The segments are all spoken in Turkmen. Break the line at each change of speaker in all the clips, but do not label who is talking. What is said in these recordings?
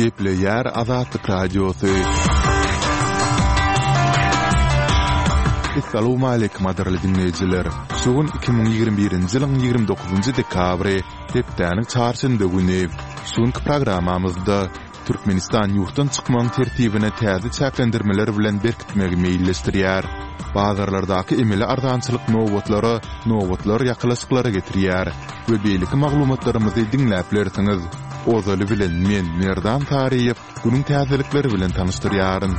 Gepleýär Azatlyk Radiosy. Essalawmaleýkim gadyrly diňleýjiler! Şu gün 2021-nji ýylyň 29-njy dekabry, hepdäniň çarşenbe güni. Şu günki programmamyzda Türkmenistan ýurtdan çykmagyň tertibine täze çäklendirmeler bilen berkitmegi meýilleşdirýär. Bazarlardaky emeli arzançylyk nobatlara nobatlar ýakalaşyklara getirýär we beýleki maglumatlarymyzy diňläp bilersiňiz. Ozaly bilen men, Merdan Saryýew, günüň täzelikleri bilen tanyşdyrýaryn.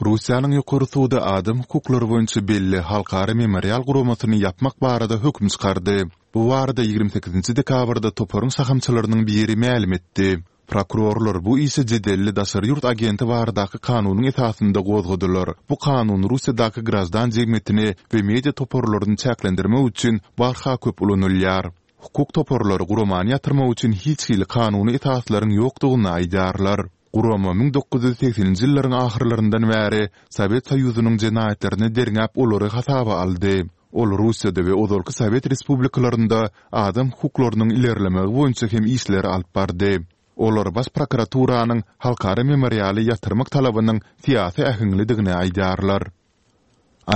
Russiýanyň Ýokary sudy adam hukuklary boýunça belli Halkara Memorial guramasyny ýapmak barada höküm çykardy. Bu barada 28 dekabrda toparyň şahamçalarynyň biri mälim etdi. Prokurorlar bu işi jedelli daşary ýurt agenti baradaky kanunyň esasynda gozgadylar. Bu kanun Russiýadaky graždan jemgyýetini we media toparlaryny çäklendirmek üçin barha köp ulanylýar. Hukuk toparlary guramany ýatyrmak üçin hiç hili kanuny esaslaryň ýokdugyny aýdýarlar. Gurama 1980-nji ýyllaryň ahyrlaryndan bäri Sowet Soýuzynyň jenaýatlaryny derňäp olary hasaba aldy. Ol Russiýada we ozalky sowet respublikalarynda adam hukuklarynyň ilerlemegi boýunça hem işleri alyp bardy. Olar Baş prokuraturanyň Halkara memorialy ýatyrmak talabynyň syýasy äheňlidigini aýdýarlar.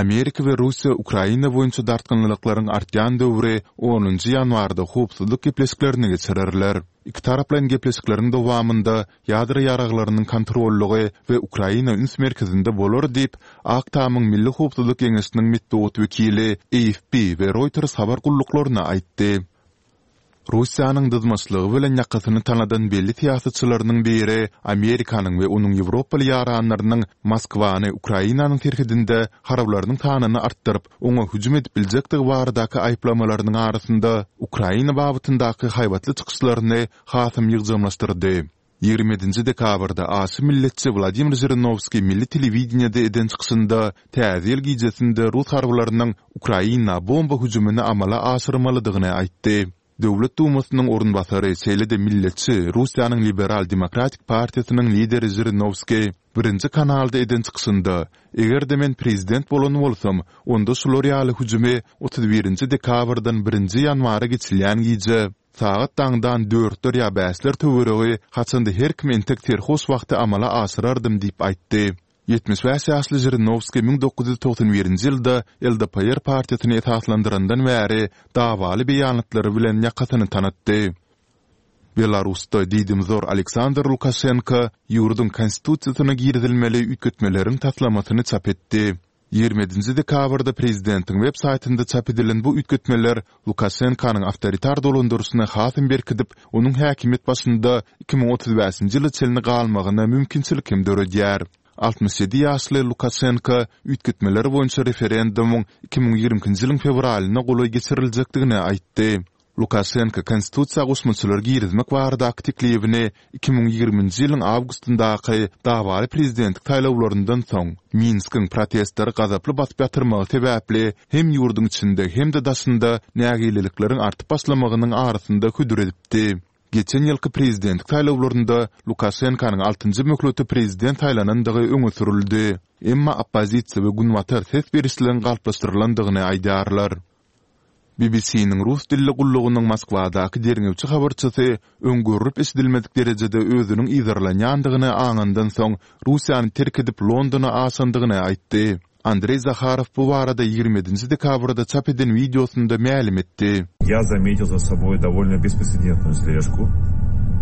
Amerika we Russiýa Ukraina boýunça dartgynlylyklaryň artýan döwri onunjy ýanwarda howpsuzlyk gepleşiklerini geçirerler. Ikitaraplaýyn gepleşikleriň dowamynda ýadro ýaraglarynyň kontrollygy we Ukraina üns merkezinde bolar diýip, Ak Tamyň Milli howpsuzlyk geňeşiniň metbugat wekili AFP we Reuters habar gulluklaryna aýtdy. Russiýanyň dyzmaçlygy bilen ýakasyny tanadan belli syýasatçylarynyň biri Amerikanyň we onuň ýewropaly ýaranlarynyň Moskwany Ukrainanyň serhedinde harbylarynyň sanyny artdyryp, oňa hüjüm edip biljekdigi baradaky aýyplamalarynyň arasynda Ukraina babatyndaky haýbatly çykyşlaryny hasam ýygjamlaşdyrdy. 27 dekabrda aşa milletçi Wladimir Žirinowskiý milli telewideniýede eden çykyşynda Täze ýyl gijesinde rus harbylarynyň Ukraina bomba hüjümini amala aşyrmalydygyny aýtdy. Döwlet Dumasynyň orunbasary, şeýle-de milletçi Russiýanyň Liberal-demokratik partiýasynyň lideri Žirinowskiý Birinji kanalda eden çykyşynda, Eger-de men prezident bolan bolsam, onda şular ýaly hüjümi 31 dekabrdan birinji ýanwara geçilýän gije, Sagat daňdan dörtler ýa bäşler töweregi, haçanda her kim entek serhoş wagty amala aşyrardym diýip aýtdy. 75 ýaşly Žirinowskiý 1991-nji ýylda LDPR partiýasyny esaslandyrandan bäri dawaly beýanatlary bilen ýakasyny tanatdy. Belarusda diýdimzor Aleksandr Lukaşenko ýurduň Konstitusiýasyna girizilmeli üýtgetmeleriň taslamasyny çap etdi. 27 dekabrda prezidentiň web saýtynda çap edilen bu üýtgetmeler Lukaşenkonyň awtoritar dolandyryşyny hasam berkidip, onuň häkimiýet başynda 2035-nji ýyla çenli galmagyna mümkinçilik hem döredýär. 67 ýaşly Lukaşenko üýtgetmeler boýunça referendumyň 2022-nji ýylyň fewralyna golaý geçiriljekdigini aýtdy. Lukaşenko konstitusiýa goşmaçalar girizmek baradaky teklibini 2020-nji ýylyň awgustyndaky dawaly prezidentlik saýlawlaryndan soň, Minskiň protestleri gazaply basyp ýatyrmagy sebäpli hem ýurduň içinde hem-de daşynda nägilelikleriň artyp başlamagynyň arasynda hödür edipdi. Geçen ýylky prezidentlik saýlawlarynda Lukaşenkonyň altynjy möhlete prezident saýlanandygy öňe sürüldi. Emma oppozisiýa we Günbatar ses berişligiň galplaşdyrylandygyny aýdýarlar. BBC-niň rus dilli gullugynyň Moskwadaky derňewçi habarçysy öň görlüp-eşidilmedik derejede özüniň yzarlanýandygyny aňandan soň Russiýany terk edip Londona aşandygyny aýtdy. Andreý Zaharow bu barada 27 dekabrda çap eden wideosynda mälim etdi.
Ýa zametil za soboý dowolno besprecedentnuyu sležku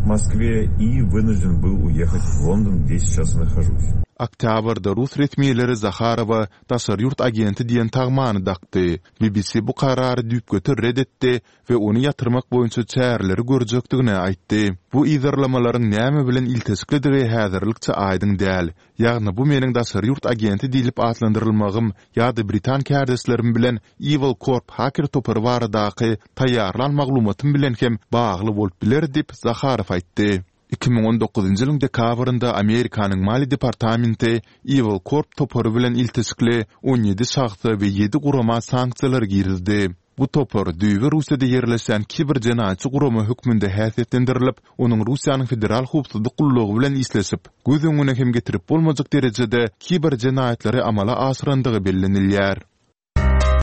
w Moskwe i wynujden byl uýehat w London, gde seýças i nahožus.
Oktýabrda rus resmileri Zaharowa daşary ýurt agenti diýen tagmany dakdy. BBC bu karary düýpgöter ret etdi we ony ýatyrmak boýunça çäreleri görjekdigini aýtdy. Bu yzarlamalaryň näme bilen ilteşiklidigi häzirlikçe aýdyň däl. Ýagny bu meniň daşary ýurt agenti diýlip atlandyrylmagym ýa-da britan kärdeşlerim bilen Evil Corp haker topary baradaky taýýarlan maglumatym bilen hem bagly bolup biler diýip, Zaharow aýtdy. 2019-njy ýylyň dekabrynda Amerikanyň Maliýe departamenti Evil Corp topary bilen ilteşikli 17 şahsa we ýedi gurama sanksiýalar girizdi. Bu topar düýbi Russiýada ýerleşýän kiber jenaýatçy gurama hökmünde häsiýetlendirilip, onuň Russiýanyň Federal howpsuzlyk gullugy bilen işleşip, göz öňüne hem getirip bolmajak derejede kiber jenaýatlary amala aşyrandygy bellenilýär.